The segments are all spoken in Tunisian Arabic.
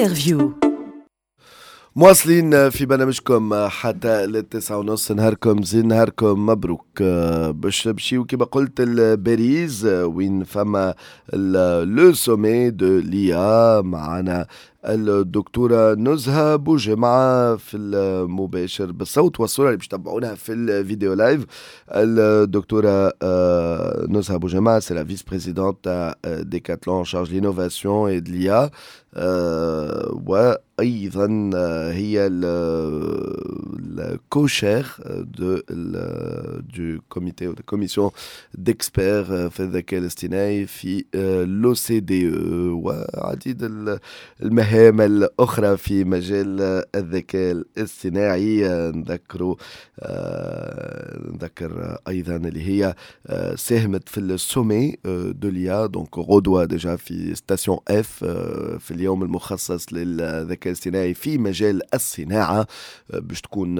Interview. مواصلين في برنامجكم حتى لل9:30. نهاركم زين، نهاركم مبروك. باش نمشيو كما قلت لباريس وين فما le sommet de l'IA. معنا الدكتورة نزهة بوجمعة في المباشر بالصوت والصورة اللي باش تتبعونها في الفيديو live. الدكتورة نزهة بوجمعة، c'est la vice-présidente تاع Decathlon en charge l'innovation et de l'IA، وايضا هي ال co-chair du comité ou de commission d'experts في الذكاء الاصطناعي في l'OCDE وعديد المهام الاخرى في مجال الذكاء الاصطناعي. نذكر ايضا اللي هي ساهمت في ال sommet de l'IA، donc غدوه déjà في Station F، في اليوم المخصص للذكاء الاصطناعي في مجال الصناعه، باش تكون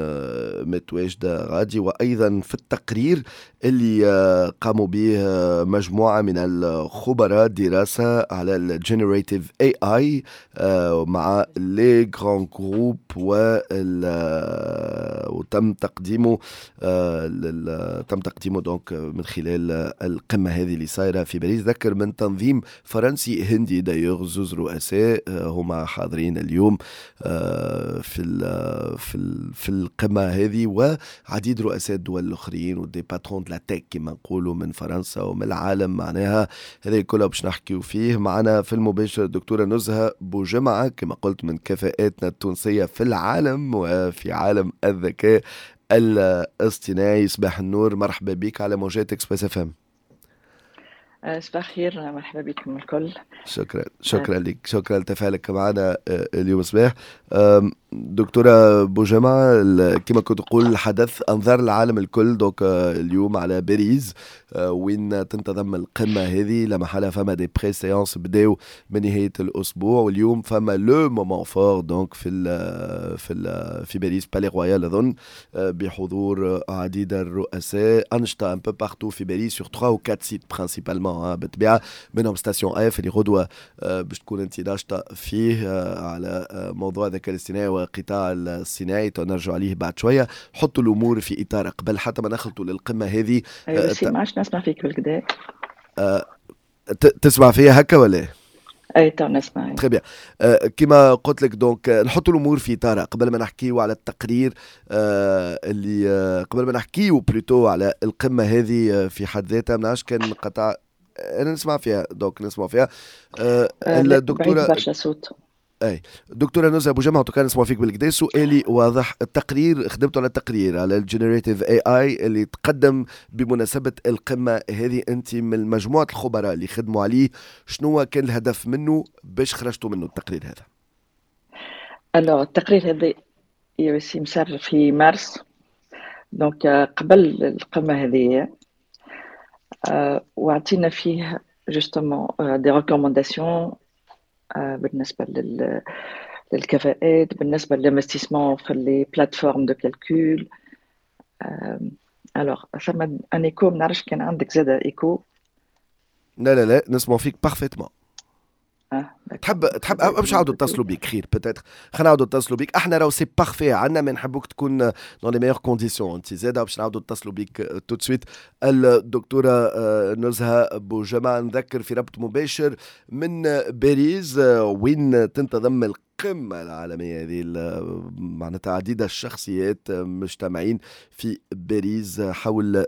متواجدة غادي. وايضا في التقرير اللي قاموا به مجموعة من الخبراء، دراسة على ال generative AI مع les grands groupes، وتم تقديمه donc من خلال القمه هذه اللي صايرة في باريس. ذكر من تنظيم فرنسي هندي d'ailleurs، زوز رؤساء هما حاضرين اليوم في القمه هذه، وعديد رؤساء الدول الاخرين و des patrons de la tech كما نقولوا من فرنسا ومن العالم. معناها هذا كله باش نحكيو فيه. معنا في المباشر الدكتورة نزهه بوجمعه، كما قلت من كفاءاتنا التونسية في العالم وفي عالم الذكاء الاصطناعي. صباح النور، مرحبا بك على موجات Express FM. صباح الخير، مرحبا بكم الكل. شكرا، شكرا لك، شكرا لتفاعلك معنا اليوم صباح. دكتورة بوجمعة، كما كنت تقول، الحدث أنظار العالم الكل donc اليوم على باريس وين تنتظم القمة هذه. لا محالة فما des préséances بداو من نهاية الأسبوع، واليوم فما le moment fort donc في باريس، Palais Royal أظن، بحضور عديد الرؤساء. أنشطة un peu partout في باريس sur 3 ou 4 sites principalement، بالطبيعة منهم Station F اللي غدوة باش تكون انت ناشطة فيه على موضوع الذكاء الاصطناعي والقطاع الصناعي، نرجع عليه بعد شوية. حطوا الأمور في إطار قبل حتى ما نخلطوا للقمة هذه. ايوه، ما عادش نسمع فيك بالكدا. تسمع فيا هكا ولا إيه؟ اي، تو نسمع. très bien. كما قلت لك، donc نحطوا الامور في اطارها قبل ما نحكيو على التقرير اللي قبل ما نحكيو plutôt على القمه هذه في حد ذاتها. ما نعرفش كان قطع، انا نسمع فيها، donc نسمع فيها. الدكتوره، برشا صوت. اي، دكتورة نزهه بوجمعه، كان نسمع فيك بالكدا. سؤالي واضح، التقرير، خدمتوا على التقرير على ال generative AI اللي تقدم بمناسبة القمه هذه، انت من مجموعة الخبراء اللي خدموا عليه، شنو كان الهدف منه باش خرجتوا منه التقرير هذا؟ alors التقرير هذا يا وسيم صار في مارس، donc قبل القمه هذه، وعطينا فيه justement des recommandations بالنسبة للكفاءات، بالنسبة لل investissement في les plateformes de calcul. alors ثم un écho، ما نعرفش كان عندك زاد écho. لا لا لا، نسمع فيك parfaitement. تحب باش نعاودوا نتصلوا بك خير؟ peut-être خلينا نعاودوا نتصلوا بك. احنا راهو c'est parfait عندنا، ما نحبوك تكون dans les meilleures conditions انت زاده. باش نعاودوا نتصلوا بك tout de suite. الدكتورة نزهه بوجمعه، نذكر، في ربط مباشر من باريس وين تنتظم القمة العالمية هذه، معناتها عديد الشخصيات مجتمعين في باريس حول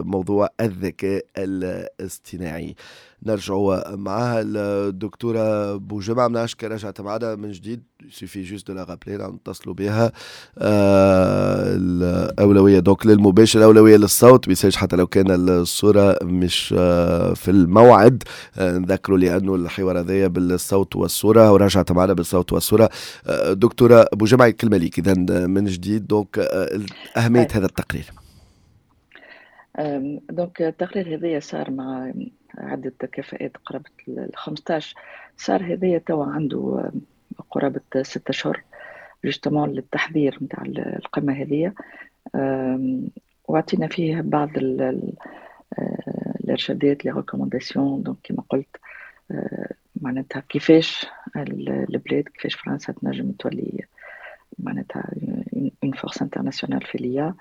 موضوع الذكاء الاصطناعي. نرجعوا معها الدكتورة بوجمعة، ما نعرفش رجعت معنا من جديد، suffit juste de la rappeler، نتصلوا بها. الأولوية donc للمباشر، الأولوية للصوت، بيسالش حتى لو كان الصورة مش في الموعد. نذكروا لأنه الحوار هذايا بالصوت والصورة، ورجعت معنا بالصوت والصورة. دكتورة بوجمعة، الكلمة ليك إذا من جديد، donc أهمية هذا التقرير. donc التقرير هذايا صار مع عدة كفاءات قرابة ال 15. صار هذايا توا عنده قرابة 6 أشهر، justement للتحضير نتاع القمة هذه، وعطينا فيه بعض الارشادات، les recommandations. donc كما قلت، معناتها كيفاش البلاد، كيفاش فرنسا تنجم تولي معناتها une force internationale في l'IA.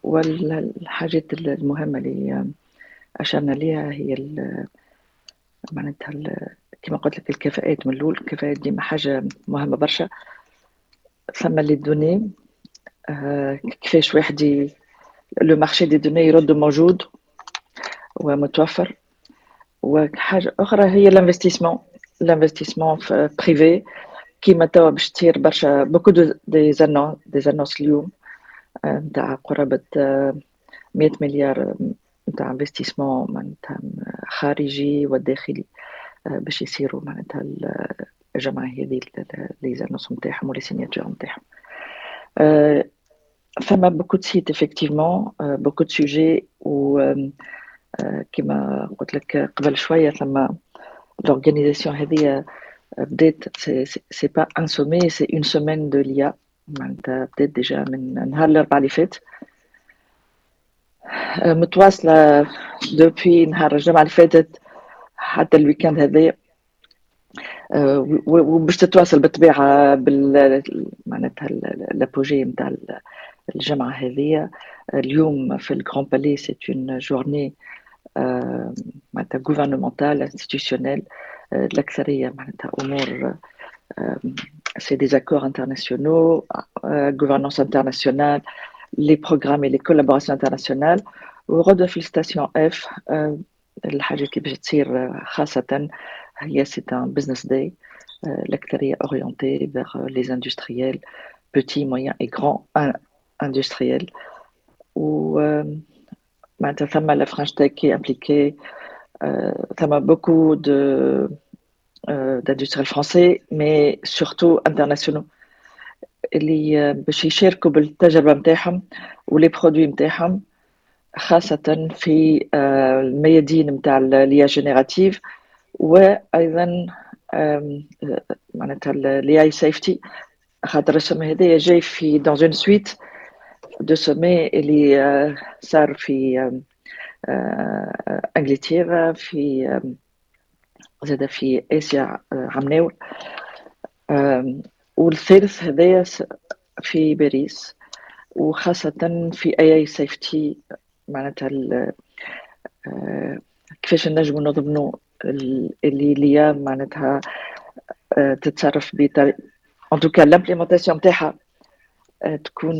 والحاجات المهمة اللي أشرنا ليها هي معناتها كما قلت لك الكفاءات من الأول. الكفاءات ديما حاجة مهمة برشا. ثم les données، كيفاش واحد le marché des données يرد موجود ومتوفر. وحاجة أخرى هي l'investissement privé، كيما توا باش تصير برشا beaucoup des annonces اليوم نتاع قرابة 100 مليار نتاع investissement معناتها خارجي وداخلي باش يصيروا معناتها الجماعة هذه les annonces نتاعهم و les signatures نتاعهم. فما beaucoup de sites effectivement، beaucoup de sujets، و كما قلت لك قبل شوية ثم l'organisation هذه بدات، c'est pas un sommet، c'est une semaine de l'IA، معناتها بدات déjà من نهار الاربعاء اللي فات، متواصلة depuis نهار الجمعة اللي فاتت حتى ال week-end هذايا، وباش تتواصل بالطبيعة بال معناتها l'apogée نتاع الجمعة هذه. اليوم في ال Grand Palais c'est une journée معناتها gouvernementale institutionnelle، الأكثرية معناتها أمور c'est des accords internationaux، gouvernance internationale، les programmes et les collaborations internationales. وغدوة في Station F الحاجات اللي باش تصير خاصة هي c'est un business day، الأكثرية orienté vers les industriels، petits، moyens et grands industriels. و معناتها ثم la French Tech qui est impliquée، ثم beaucoup de d'industriels français mais surtout internationaux اللي باش يشاركوا بالتجربة نتاعهم و les produits نتاعهم، خاصة في الميادين نتاع l'IA générative وايضا معناتها l'AI safety، خاطر ال sommet هذايا جاي في dans une suite de sommets اللي صار في انجلترا، في زاد في اسيا عمناول، والثالث هذايا في باريس، وخاصة في AI safety، معناتها كيفاش نجمو نضمنوا اللي l'IA معناتها تتصرف بطريقة en tout cas l'implémentation نتاعها تكون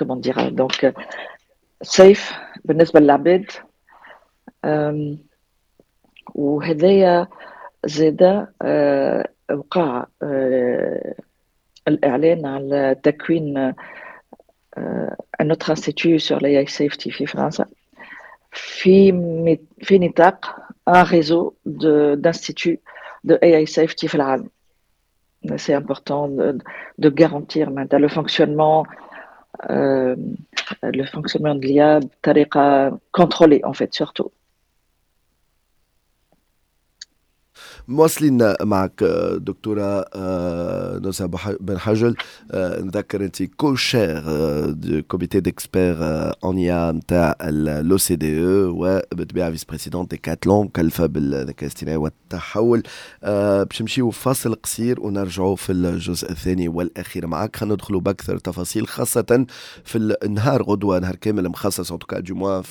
comment dire donc safe بالنسبة للعباد. وهذايا زادا وقع الإعلان على تكوين un autre institut sur l'AI safety في فرنسا في نطاق un réseau d'instituts de AI safety في العالم. C'est important de garantir le fonctionnement de l'IA بطريقة contrôlée en fait surtout. مواصلين معك دكتورة نزهة بن حجل، نذكر انت co-chair du comité d'experts en IA نتاع l'OCDE وبالطبيعة vice-présidente Décathlon، مكلفة بالذكاء الاصطناعي والتحول. باش نمشيو فاصل قصير ونرجعوا في الجزء الثاني والاخير معك، خلينا ندخلوا باكثر تفاصيل خاصة في النهار غدوة، نهار كامل مخصص en tout cas du moins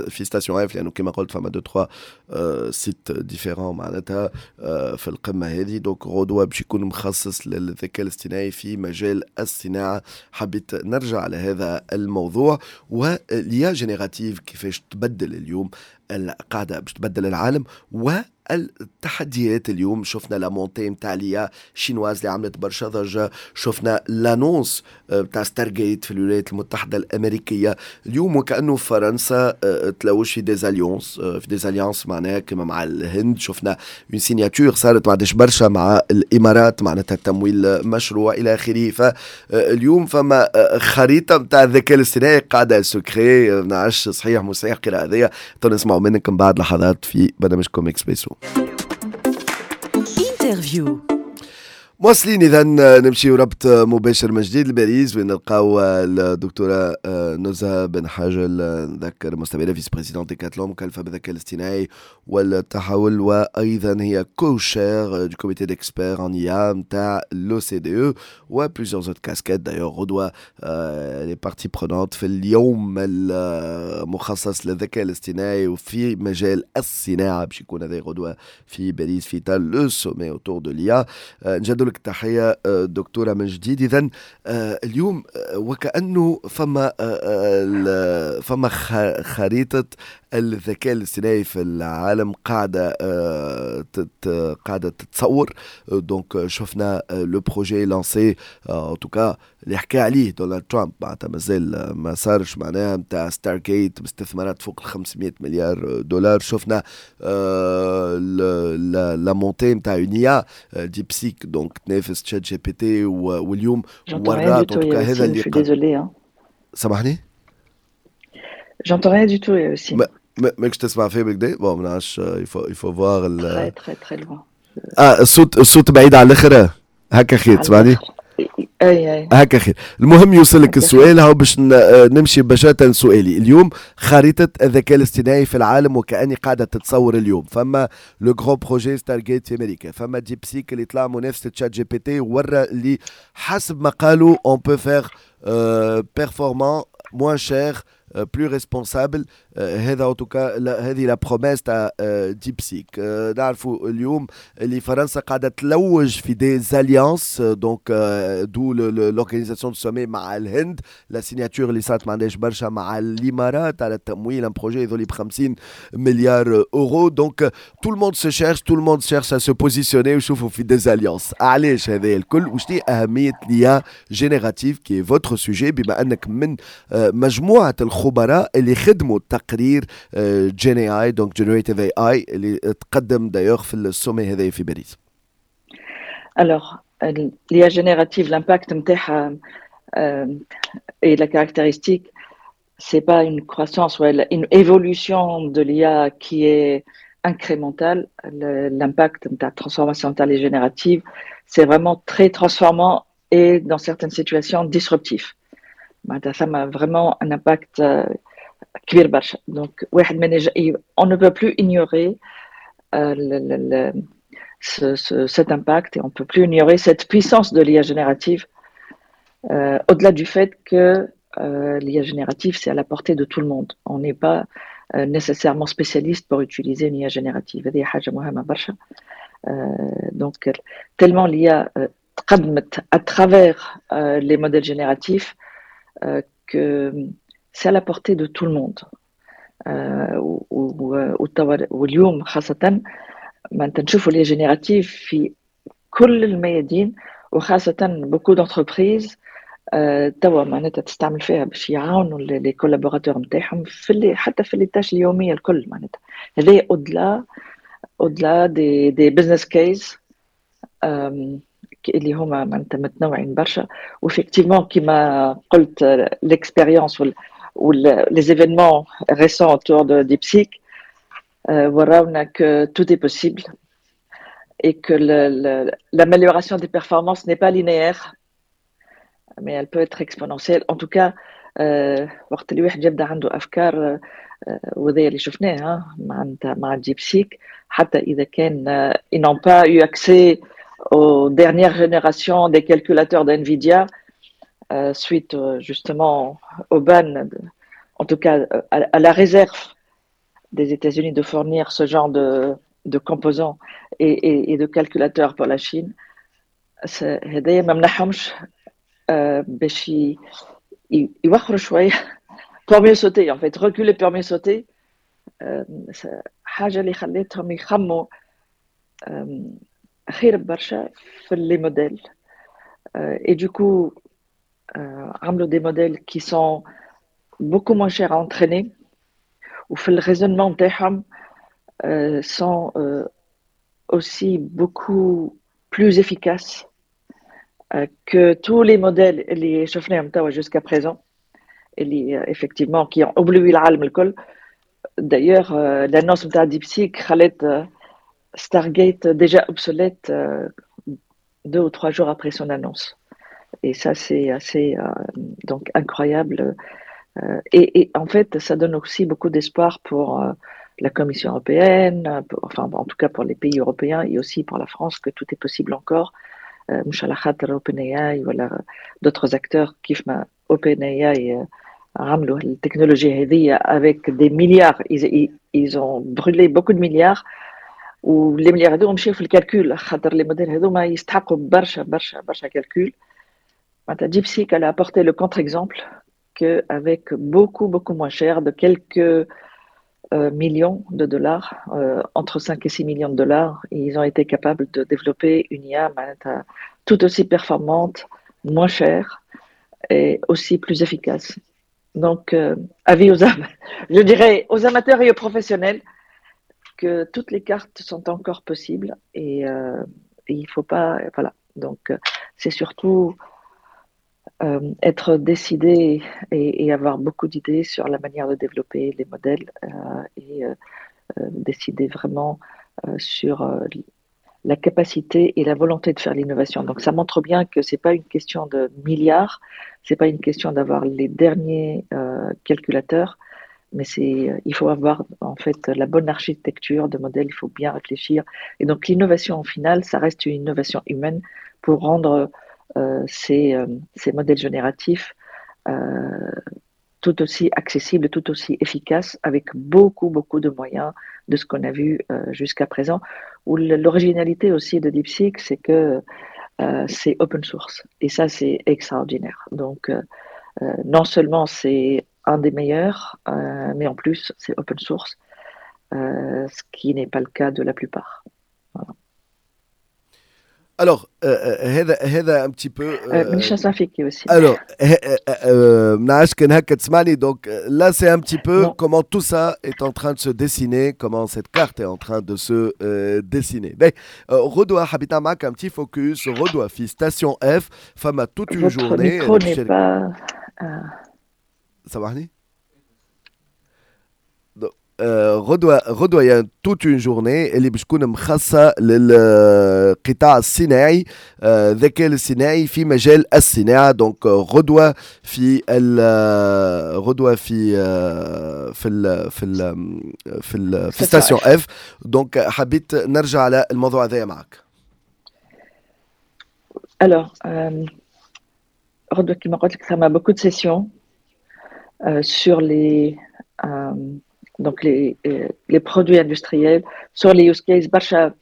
في Station F، لانه كما قلت فما deux trois sites différents معناتها في القمة هذه. donc غدوة باش يكون مخصص للذكاء الاصطناعي في مجال الصناعة. حبيت نرجع على هذا الموضوع و l'IA générative كيفاش تبدل اليوم القاعدة باش تبدل العالم والتحديات. اليوم شفنا la montée نتاع l'IA chinoise اللي عملت برشا ضجة، شفنا l'annonce نتاع Stargate في الولايات المتحدة الأمريكية. اليوم وكأنه فرنسا تلوج في des alliances معناها كما مع الهند، شفنا une signature صارت ما عادش برشا مع الإمارات معناتها تمويل مشروع إلى آخره. فاليوم فما خريطة نتاع الذكاء الاصطناعي قاعدة se crée، ما نعرفش صحيح مش صحيح القراءة هذيا، نسمعوا منكم بعد لحظات في برنامجكم اكسبريسو interview. مواصلين اذا، نمشي ربط مباشر من جديد لباريس وين نلقاو الدكتورة نزهه بن حاجل. نذكر مستمعينا vice-présidente Decathlon، مكلفة بالذكاء الاصطناعي والتحول، وايضا هي co-chair du comité d'experts en IA نتاع l'OCDE و plusieurs autres casquettes d'ailleurs. غدوه les parties prenantes في اليوم المخصص للذكاء الاصطناعي وفي مجال الصناعه، باش يكون هذا غدوه في باريس في اطار le sommet autour de l'IA. نجدد لك التحية دكتورة من جديد. اذا اليوم وكانه فما خريطة الذكاء الاصطناعي في العالم قاعدة تتصور. donc شفنا le projet lancé، en tout cas اللي حكى عليه دونالد ترامب، معناتها مازال ما صارش، معناها نتاع Stargate باستثمارات فوق ال 500 مليار دولار. شفنا la montée نتاع une IA DeepSeek، donc تنافس ChatGPT، واليوم ورات هذا اللي désolé. سامحني. J'entends rien du tout aussi. ماكش تسمع فيه بالكدا؟ bon، ما نعرفش، il faut voir. très très très loin. اه، الصوت بعيد على الاخر. هكا خير؟ تسمعني؟ اي اي. هكا خير. المهم يوصلك السؤال، هو باش نمشي مباشرة سؤالي. اليوم خريطة الذكاء الاصطناعي في العالم وكأني قاعدة تتصور. اليوم فما le grand projet Stargate في امريكا، فما DeepSeek اللي طلع منافسة ChatGPT، ورا اللي حسب ما قالوا on peut faire performant، moins cher، plus responsable. هذا en tout cas هذه la promesse تاع DeepSeek. نعرفوا اليوم اللي فرنسا قاعدة تلوج في des alliances، donc d'où l'organisation du sommet مع الهند، la signature اللي صارت ما عندهاش برشا مع الامارات على التمويل، un projet يظل ب 50 مليار euros. donc tout le monde se cherche، tout le monde cherche à se positionner ويشوفوا في des alliances. علاش هذا الكل؟ وشنو اهمية l'IA générative qui est votre sujet، بما انك من مجموعة الخبراء اللي خدموا تقرير Gen AI، donc generative AI، اللي تقدم d'ailleurs في ال sommet هذا في باريس؟ Alors, l'IA générative, l'impact نتاعها et la caractéristique, c'est pas une croissance ou une évolution de l'IA qui est incrémentale. L'impact de la transformation de l'IA générative, c'est vraiment très transformant et dans certaines situations disruptif. Ça a vraiment un impact كبير برشا. donc واحد من on ne peut plus ignorer cet impact et on ne peut plus ignorer cette puissance de l'IA générative, au-delà du fait que l'IA générative, c'est à la portée de tout le monde. On n'est pas nécessairement spécialiste pour utiliser une IA générative. هذه حاجة مهمة برشا. Donc tellement l'IA تقدمت à travers les modèles génératifs que c'est à la portée de tout le monde. واليوم خاصة ما نشوفوا l'IA générative في كل الميادين، وخاصة beaucoup d'entreprises توا معناتها تستعمل فيها باش يعاونوا les collaborateurs نتاعهم في اللي حتى في les tâches اليومية الكل. معناتها هذا au-delà des business cases اللي هما معناتها متنوعين برشا. و effectivement كيما قلت، l'expérience ou les événements récents autour de DeepSeek وراونا que tout est possible et que l'amélioration des performances n'est pas linéaire, mais elle peut être exponentielle. En tout cas, وقت اللي واحد يبدا عنده افكار، وهذا اللي شفناه مع DeepSeek، حتى اذا كان ils n'ont pas eu accès aux dernières générations des calculateurs d'NVIDIA suite justement au ban, en tout cas à la réserve des États-Unis de fournir ce genre de composants et de calculateurs pour la Chine. هذايا ما منعهمش باش يوخروا شوية pour mieux sauter، en fait reculer pour mieux sauter. حاجة اللي خلتهم يخموا خير برشا في les modèles et du coup عملوا des modèles qui sont beaucoup moins chers à entraîner وفي ال raisonnement نتاعهم sont aussi beaucoup plus efficaces que tous les modèles اللي شفناهم توا jusqu'à présent، اللي effectivement qui ont ébloui العالم الكل. d'ailleurs l'annonce نتاع DeepSeek خلت Stargate déjà obsolète. 2 ou 3 jours après son annonce. Et ça, c'est assez donc incroyable. Et en fait, ça donne aussi beaucoup d'espoir pour la Commission européenne, enfin en tout cas pour les pays européens et aussi pour la France, que tout est possible encore. مش على خاطر OpenAI ولا d'autres acteurs كيف ما OpenAI عملوا التكنولوجيا هذه avec des milliards, ils ont brûlé beaucoup de milliards و les milliards هذو مشاو في ال calcul خاطر les modèles هذوما يستحقوا برشا برشا برشا calcul. معناتها DeepSeek, elle a apporté le contre-exemple qu'avec beaucoup beaucoup moins cher, de quelques millions de dollars, entre 5 et 6 millions de dollars, ils ont été capables de développer une IA معناتها tout aussi performante, moins chère et aussi plus efficace. Donc, avis aux, je dirais aux amateurs et aux professionnels que toutes les cartes sont encore possibles et il faut pas, voilà. Donc, c'est surtout être décidé et avoir beaucoup d'idées sur la manière de développer les modèles et décider vraiment sur la capacité et la volonté de faire l'innovation. Donc ça montre bien que c'est pas une question de milliards, c'est pas une question d'avoir les derniers calculateurs, mais c'est il faut avoir en fait la bonne architecture de modèle, il faut bien réfléchir. Et donc l'innovation au final, ça reste une innovation humaine pour rendre ces modèles génératifs tout aussi accessibles, tout aussi efficaces, avec beaucoup, beaucoup de moyens de ce qu'on a vu jusqu'à présent. و l'originalité aussi de DeepSeek, c'est que c'est open source. Et ça, c'est extraordinaire. Donc, non seulement c'est un des meilleurs, mais en plus, c'est open source, ce qui n'est pas le cas de la plupart. Voilà. Alors, هذا un petit peu. مانيش نسمع فيك aussi. Alors, منعرفش كان هكا تسمعني. Donc là, c'est un petit peu comment tout ça est en train de se dessiner, comment cette carte est en train de se dessiner. Mais غدوة حبيت معك un petit focus. غدوة في Station F, فما toute une Votre journée. Micro n'est pas. سامحني. غدوة يعني toute une journée اللي باش تكون مخصصة للقطاع الصناعي، الذكاء الاصطناعي في مجال الصناعة. Donc غدوة في Station F. Donc حبيت نرجع على الموضوع هذايا معك. Alors, غدوة كما قلت لك ثم beaucoup de sessions sur les donc les produits industriels, sur les use cases, برشا,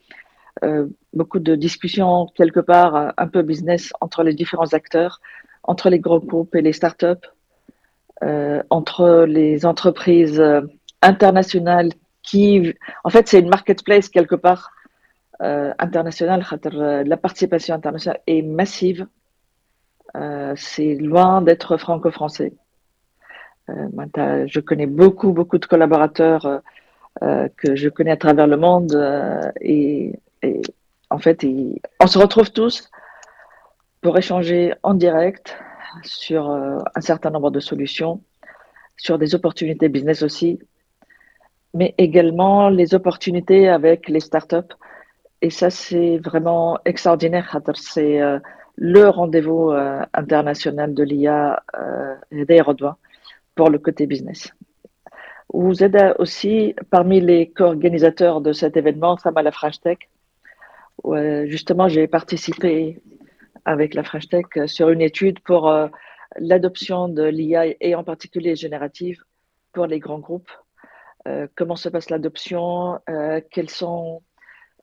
beaucoup de discussions quelque part un peu business entre les différents acteurs, entre les gros groupes et les startups, entre les entreprises internationales qui, en fait, c'est une marketplace quelque part internationale. خاطر la participation internationale est massive. C'est loin d'être franco-français. معناتها je connais beaucoup, beaucoup de collaborateurs que je connais à travers le monde et en fait, on se retrouve tous pour échanger en direct sur un certain nombre de solutions, sur des opportunités business aussi, mais également les opportunités avec les startups. Et ça, c'est vraiment extraordinaire خاطر c'est le rendez-vous international de l'IA هذايا غدوة pour le côté business. وزادة aussi parmi les co-organisateurs de cet événement, ثما la French Tech, où, justement, j'ai participé avec la French Tech sur une étude pour l'adoption de l'IA et en particulier générative pour les grands groupes. Comment se passe l'adoption, quelles sont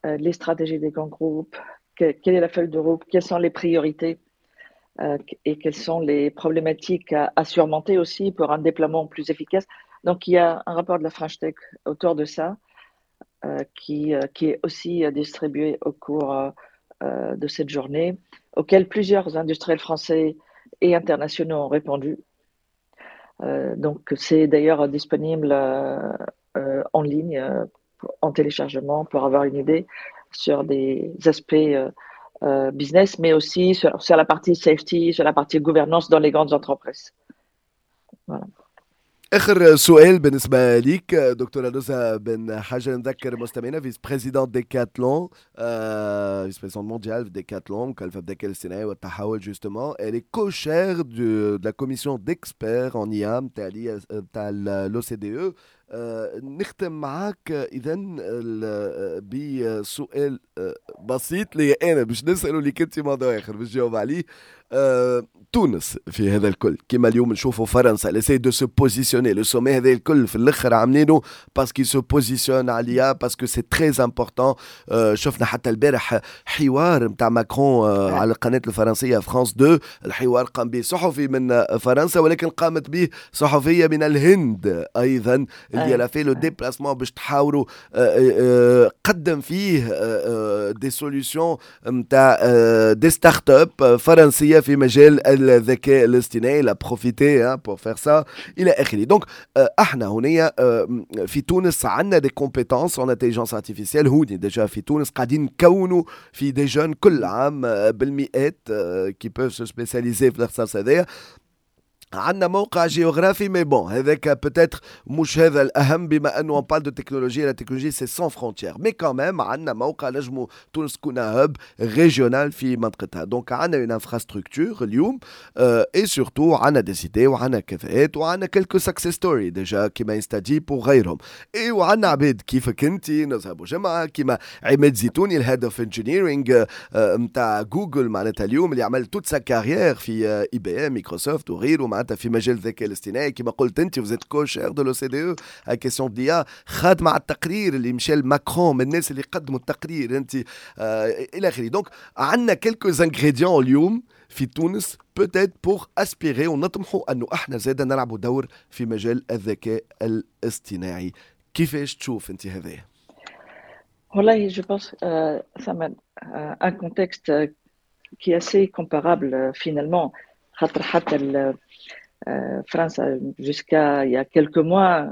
les stratégies des grands groupes, quelle est la feuille de route, quelles sont les priorités et quelles sont les problématiques à surmonter aussi pour un déploiement plus efficace. Donc, il y a un rapport de la French Tech autour de ça qui est aussi distribué au cours de cette journée, auquel plusieurs industriels français et internationaux ont répondu. Donc, c'est d'ailleurs disponible en ligne, en téléchargement, pour avoir une idée sur des aspects business, mais aussi sur la partie safety, sur la partie gouvernance dans les grandes entreprises. Voilà. اخر سؤال بالنسبه ليك دكتوره نزهه بن حاجه، نذكر مستمعينا vice-présidente Decathlon، vice-présidente mondiale في Decathlon، مكلفه بالذكاء الاصطناعي والتحول. Justement, elle est co-chair de la commission d'experts en IA نتاع l'OCDE. نختم معاك اذا بسؤال بسيط لي انا باش نساله لك انت، موضوع اخر باش تجاوب عليه. تونس في هذا الكل، كما اليوم نشوفوا فرنسا essaie de se positionner، le sommet هذا الكل في الاخر عاملينه parce qu'ils se positionnent عليها، parce que c'est très important. شفنا حتى البارح حوار نتاع ماكرون على القناه الفرنسيه فرانس 2. الحوار قام به صحفي من فرنسا، ولكن قامت به صحفيه من الهند ايضا اللي elle a fait le déplacement باش تحاوروا. قدم فيه des solutions نتاع des startups فرنسيه في مجال الذكاء الاصطناعي، elle a profité pour faire ça الى اخره. Donc احنا هنا في تونس عندنا des compétences en intelligence artificielle. هوني déjà في تونس قاعدين نكونوا في des jeunes كل عام بالمئات qui peuvent se spécialiser في الاختصاص هذايا. عندنا موقع جيوغرافي، mais bon، هذاك peut-être مش هذا الاهم، بما انه on parle de technologie، la technologie c'est sans frontières، mais quand même عندنا موقع نجمو تونس تكون hub régional في منطقتها. Donc عندنا une infrastructure اليوم et surtout عندنا des idées وعندنا كفاءات وعندنا quelques success stories déjà كيما InstaDeep وغيرهم، et وعندنا عباد كيفك انت نزهه بوجمعه، كيما عماد زيتوني، ال head of engineering نتاع جوجل، معناتها اليوم اللي عمل toute sa carrière في IBM، Microsoft وغيره، معناتها في مجال الذكاء الاصطناعي. كما قلت انت vous êtes co-chair de l'OCDE question d'IA، خادمه على التقرير اللي مشى ماكرون، من الناس اللي قدموا التقرير انت الى اخره. Donc عندنا quelques ingrédients اليوم في تونس peut-être pour aspirer ونطمحوا انه احنا زاد نلعبوا دور في مجال الذكاء الاصطناعي. كيفاش تشوف انت هذايا؟ والله je pense ثم un contexte qui est assez comparable finalement، خاطر حتى فرنسا jusqu'à il y a quelques mois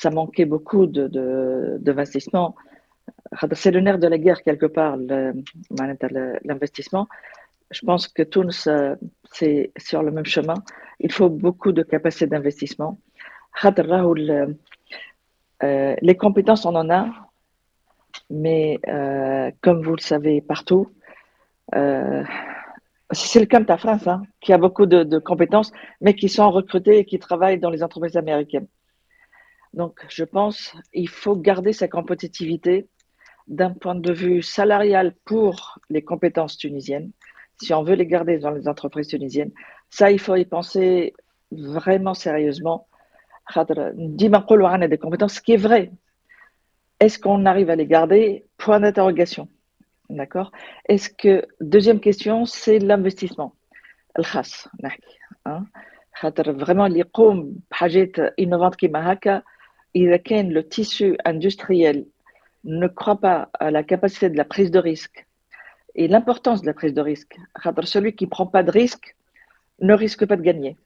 ça manquait beaucoup d'investissement. C'est le nerf de la guerre quelque part, l'investissement. Je pense que تونس c'est sur le même chemin. Il faut beaucoup de capacité d'investissement. Les compétences, on en a, mais comme vous le savez partout, c'est le cas de France, hein, qui a beaucoup de compétences, mais qui sont recrutées et qui travaillent dans les entreprises américaines. Donc, je pense qu'il faut garder sa compétitivité d'un point de vue salarial pour les compétences tunisiennes. Si on veut les garder dans les entreprises tunisiennes, ça, il faut y penser vraiment sérieusement. ديما نقولوا عندنا des compétences, ce qui est vrai. Est-ce qu'on arrive à les garder? Point d'interrogation. D'accord. Est-ce que, deuxième question, c'est l'investissement. الخاص نحكي، خاطر vraiment اللي يقوم بحاجات innovantes كيما هكا، إذا كان le tissu industriel ne croit pas à la capacité de la prise de risque et l'importance de la prise de risque، خاطر celui qui ne prend pas de risque ne risque pas de gagner.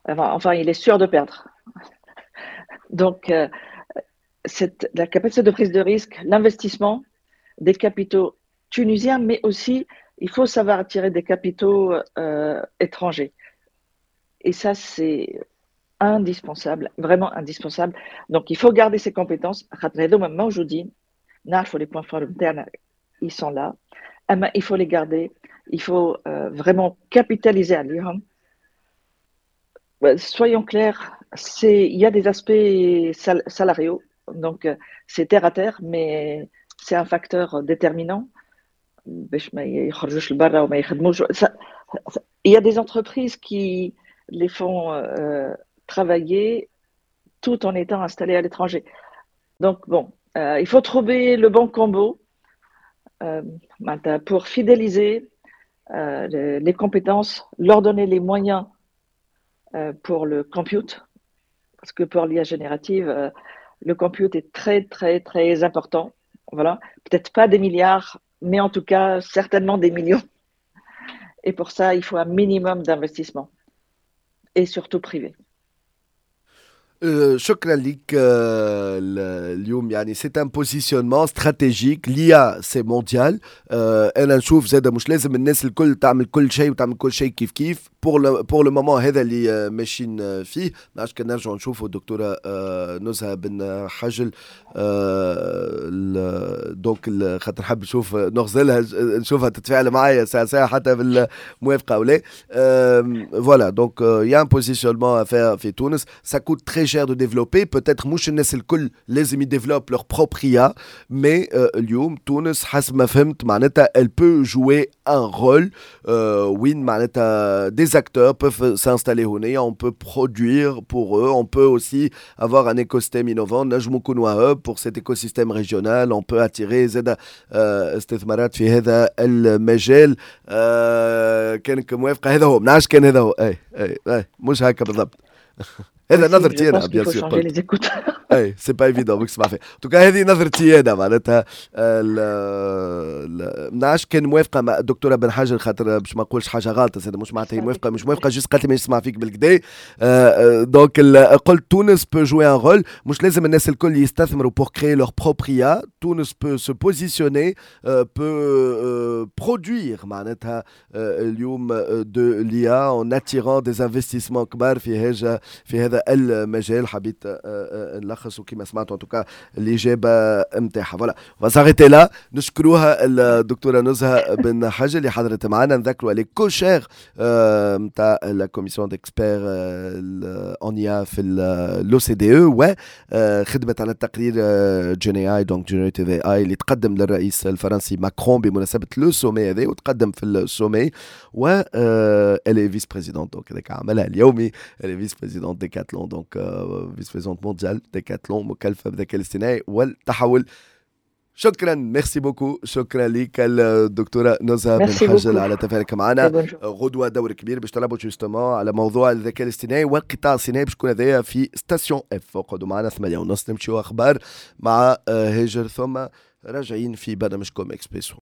Enfin, il est sûr de perdre. Donc, la capacité de prise de risque, l'investissement des capitaux tunisiens, mais aussi, il faut savoir attirer des capitaux étrangers. Et ça, c'est indispensable, vraiment indispensable. Donc, il faut garder ses compétences. خاطر هذوما موجودين، نعرفوا les points forts نتاعنا، ils sont là. أما il faut les garder. Il faut vraiment capitaliser عليهم. Soyons clairs, il y a des aspects salariaux, donc c'est terre à terre, mais c'est un facteur déterminant. باش ما يخرجوش لبرا وما يخدموش. Il y a des entreprises qui les font travailler tout en étant installés à l'étranger. Donc bon, il faut trouver le bon combo معناتها pour fidéliser les compétences, leur donner les moyens pour le compute, parce que pour l'IA générative, le compute est très, très, très important. Voilà. Peut-être pas des milliards, mais en tout cas, certainement des millions. Et pour ça, il faut un minimum d'investissement, et surtout privé. شكرا لك. اليوم يعني c'est un positionnement stratégique، l'IA c'est mondial. انا نشوف زاد مش لازم الناس الكل تعمل كل شيء وتعمل كل شيء كيف كيف. pour le moment هذا اللي ماشيين فيه. ما كان نرجعوا نشوفوا الدكتورة نزهه بن حجل، donc خاطر حاب نشوف نغزلها، نشوفها تتفاعل معايا ساعة ساعة حتى بالموافقة او لا. voilà، donc y a un positionnement à faire في تونس. ça coûte très cher de développer، peut-être مش الناس الكل لازم ي développe leur propre IA، mais اليوم تونس حسب ما فهمت معناتها elle peut jouer un rôle وين معناتها des acteurs peuvent s'installer هنا، on peut produire pour eux، on peut aussi avoir un écosystème innovant، نجمو نكونوا hub pour cet écosystème régional، on peut attirer زاد استثمارات في هذا المجال. كانك موافقة هذا هو، ما نعرفش كان هذا هو. اي مش هكا بالضبط، هذا نظرتي انا bien sûr. اي c'est pas évident بك تسمع فيه. en tout cas هذه نظرتي انا معناتها. ما نعرفش كان موافقة مع الدكتورة بن حجر، خاطر باش ما نقولش حاجة غلطه زاد، مش معناتها هي موافقة مش موافقه، juste قالت لي ما نسمع فيك بالكدا. donc قلت تونس peut jouer un rôle، مش لازم الناس الكل يستثمروا pour créer leur propre IA. تونس peut se positionner، peut produire معناتها اليوم de l'IA en attirant des investissements كبار في هذا المجال. حبيت نلخص، وكما سمعتوا en tout cas الاجابة نتاعها. voilà، on va s'arrêter là. نشكروها الدكتورة نزهه بن حجل اللي حضرت معنا. نذكروا elle est co-chair نتاع la commission d'experts en IA في l'OCDE، وخدمت على التقرير GenAI، donc generative AI، اللي تقدم للرئيس الفرنسي ماكرون بمناسبة le sommet هذا وتقدم في ال sommet. و elle est vice-présidente، donc هذاك عملها اليومي، elle est vice-présidente Decathlon، donc vice-présidente mondiale Decathlon، مكلفة بالذكاء الاصطناعي والتحول. شكرا، merci beaucoup، شكرا لك الدكتورة نزهه بن حجل على تفاعلك معنا. غدوه دور كبير باش تلعبوا justement على موضوع الذكاء الاصطناعي والقطاع الصناعي، باش يكون هذايا في Station F. اقعدوا معنا، 8:30 نمشيو اخبار مع هاجر، ثم راجعين في برنامجكم اكسبريسو.